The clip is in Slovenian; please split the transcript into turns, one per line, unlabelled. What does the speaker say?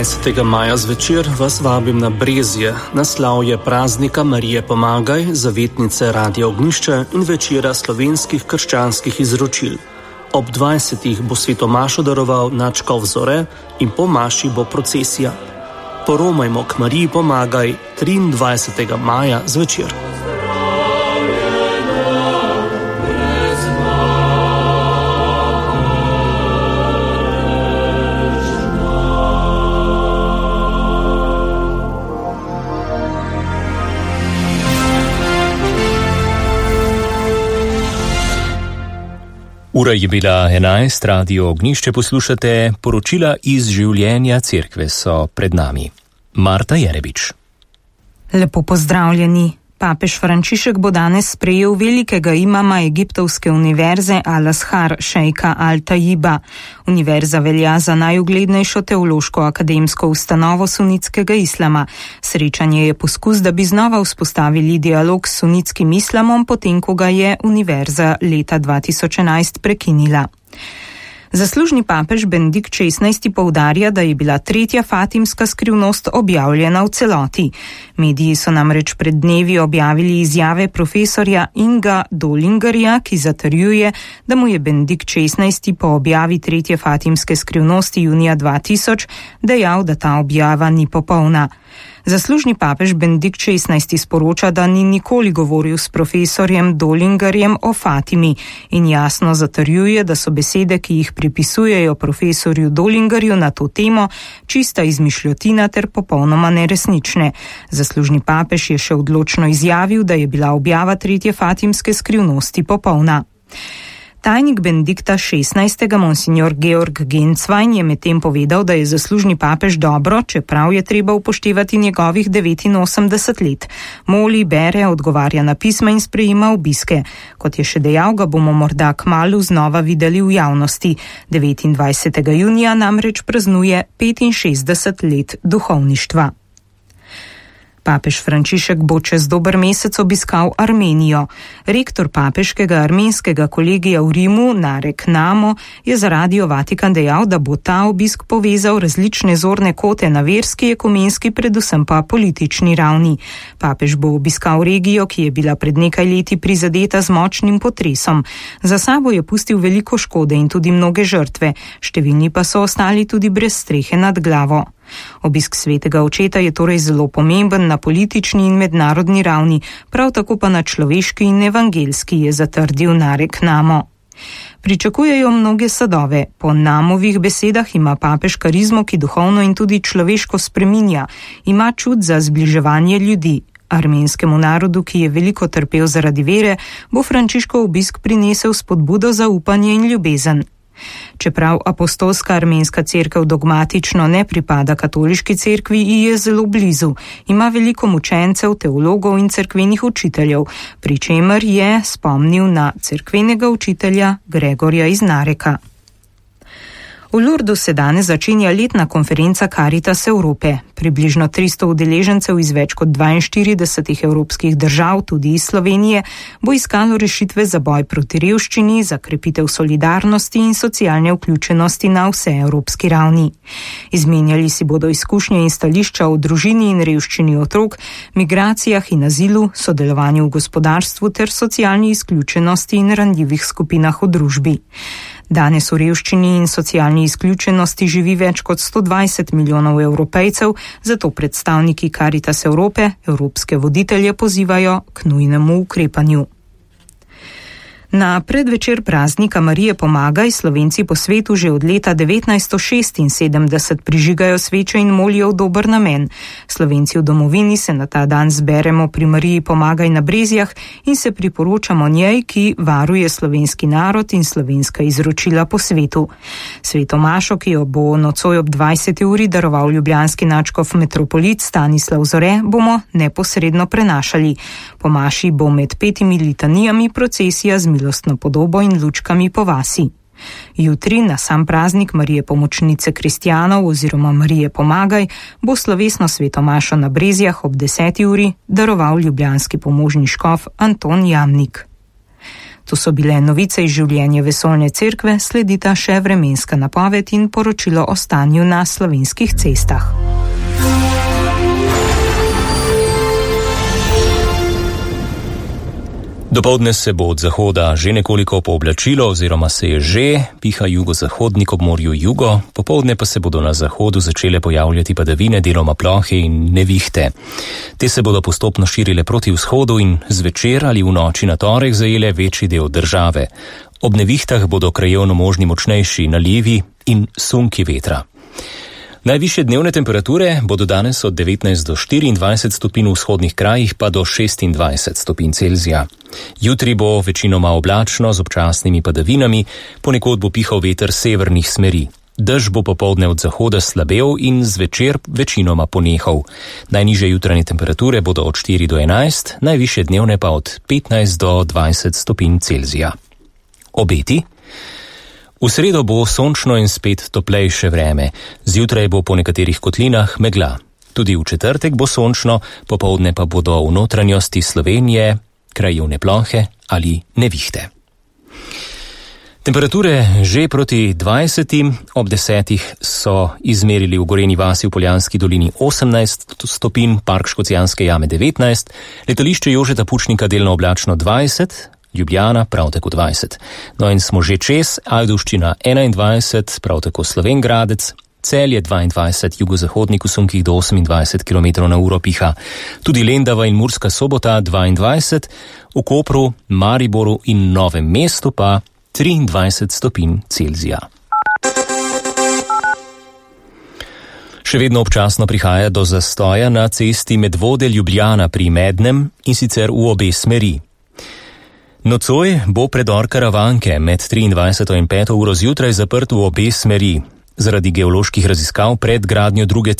20. maja zvečer vas vabim na Brezje, na slavje praznika Marije Pomagaj, zavetnice Radia Ognjišče in večera slovenskih krščanskih izročil. Ob 20. bo svetomašo daroval nadškof Zore in po maši bo procesija. Poromajmo k Mariji Pomagaj 23. maja zvečer.
Ura je bila 11, Radio Ognjišče poslušate, poročila iz življenja cerkve so pred nami. Marta Jerebič.
Lepo pozdravljeni. Papež Frančišek bo danes sprejel velikega imama egiptovske univerze Al-Azhar, šejka Al-Tajiba. Univerza velja za najuglednejšo teološko akademsko ustanovo sunitskega islama. Srečanje je poskus, da bi znova vzpostavili dialog s sunitskim islamom, potem ko ga je univerza leta 2011 prekinila. Zaslužni papež Benedikt XVI poudarja, da je bila tretja fatimska skrivnost objavljena v celoti. Mediji so namreč pred dnevi objavili izjave profesorja Inga Dolingerja, ki zatrjuje, da mu je Benedikt XVI po objavi tretje fatimske skrivnosti junija 2000 dejal, da ta objava ni popolna. Zaslužni papež Benedikt XVI sporoča, da ni nikoli govoril s profesorjem Dolingerjem o Fatimi in jasno zatrjuje, da so besede, ki jih pripisujejo profesorju Dolingerju na to temo, čista izmišljotina ter popolnoma neresnične. Zaslužni papež je še odločno izjavil, da je bila objava tretje fatimske skrivnosti popolna. Tajnik Benedikta XVI, monsignor Georg Genswein, je medtem povedal, da je zaslužni papež dobro, čeprav je treba upoštevati njegovih 89 let. Moli, bere, odgovarja na pisma in sprejema obiske. Kot je še dejal, ga bomo morda kmalu znova videli v javnosti. 29. junija namreč praznuje 65 let duhovništva. Papež Frančišek bo čez dober mesec obiskal Armenijo. Rektor papeškega armenskega kolegija v Rimu, Narek Namo, je za Radio Vatikan dejal, da bo ta obisk povezal različne zorne kote na verski, ekumenski, predvsem pa politični ravni. Papež bo obiskal regijo, ki je bila pred nekaj leti prizadeta z močnim potresom. Za sabo je pustil veliko škode in tudi mnoge žrtve, številni pa so ostali tudi brez strehe nad glavo. Obisk svetega očeta je torej zelo pomemben na politični in mednarodni ravni, prav tako pa na človeški in evangelski, je zatrdil Narek Namo. Pričakujejo mnoge sadove. Po Namovih besedah ima papež karizmo, ki duhovno in tudi človeško spreminja. Ima čut za zbliževanje ljudi. Armenskemu narodu, ki je veliko trpel zaradi vere, bo Frančiškov obisk prinesel spodbudo za upanje in ljubezen. Čeprav apostolska armenska cerkev dogmatično ne pripada katoliški cerkvi, ji je zelo blizu. Ima veliko mučencev, teologov in cerkvenih učiteljev, pri čemer je spomnil na cerkvenega učitelja Gregorja iz Nareka. V Lurdu se danes začenja letna konferenca Caritas Evrope. Približno 300 udeležencev iz več kot 42 evropskih držav, tudi iz Slovenije, bo iskalo rešitve za boj proti revščini, za krepitev solidarnosti in socialne vključenosti na vse evropski ravni. Izmenjali si bodo izkušnje in stališča o družini in revščini otrok, migracijah in azilu, sodelovanju v gospodarstvu ter socialni izključenosti in ranljivih skupinah v družbi. Danes v revščini in socialni izključenosti živi več kot 120 milijonov Evropejcev, zato predstavniki Caritas Evrope evropske voditelje pozivajo k nujnemu ukrepanju. Na predvečer praznika Marije Pomagaj Slovenci po svetu že od leta 1976 prižigajo sveče in molijo v dober namen. Slovenci v domovini se na ta dan zberemo pri Mariji Pomagaj na Brezjah in se priporočamo njej, ki varuje slovenski narod in slovenska izročila po svetu. Sveto mašo, ki jo bo nocoj ob 20. uri daroval ljubljanski nadškof metropolit Stanislav Zore, bomo neposredno prenašali. Po maši bo med 5 litanijami procesija z milostno podobo in lučkami po vasi. Jutri, na sam praznik Marije Pomočnice kristjanov oziroma Marije Pomagaj, bo slovesno sveto mašo na Brezjah ob 10. uri daroval ljubljanski pomožni škof Anton Jamnik. To so bile novice iz življenja Vesoljne cerkve, sledita še vremenska napoved in poročilo o stanju na slovenskih cestah.
Dopoldne se bo od zahoda že nekoliko pooblačilo oziroma se je že, piha jugozahodnik ob morju jugo, popoldne pa se bodo na zahodu začele pojavljati padavine, deloma plohe in nevihte. Te se bodo postopno širile proti vzhodu in zvečer ali v noči na torek zajele večji del države. Ob nevihtah bodo krajevno možni močnejši nalivi in sunki vetra. Najvišje dnevne temperature bodo danes od 19 do 24 stopinj v vzhodnih krajih pa do 26 stopinj Celzija. Jutri bo večinoma oblačno z občasnimi padavinami, ponekod bo pihal veter severnih smeri. Dež bo popoldne od zahoda slabel in zvečer večinoma ponehal. Najnižje jutranje temperature bodo od 4 do 11, najvišje dnevne pa od 15 do 20 stopinj Celzija. Obeti? V sredo bo sončno in spet toplejše vreme, zjutraj bo po nekaterih kotlinah megla. Tudi v četrtek bo sončno, popoldne pa bodo v notranjosti Slovenije krajevne plohe ali nevihte. Temperature že proti 20, ob 10 so izmerili v Gorenji vasi v Poljanski dolini 18 stopinj, Park Škocjanske jame 19, letališče Jožeta Pučnika delno oblačno 20, Ljubljana prav tako 20. No in smo že čez, Ajdovščina 21, prav tako Slovenj Gradec, Celje 22, jugozahodnik v sunkih do 28 km na uro piha. Tudi Lendava in Murska Sobota 22, v Kopru, Mariboru in Novem mestu pa 23 stopinj Celzija. Še vedno občasno prihaja do zastoja na cesti Medvode-Ljubljana pri Mednem in sicer v obe smeri. Nocoj bo predor Karavanke med 23 in 5 uro zjutraj zaprt v obe smeri. Zaradi geoloških raziskav pred gradnjo druge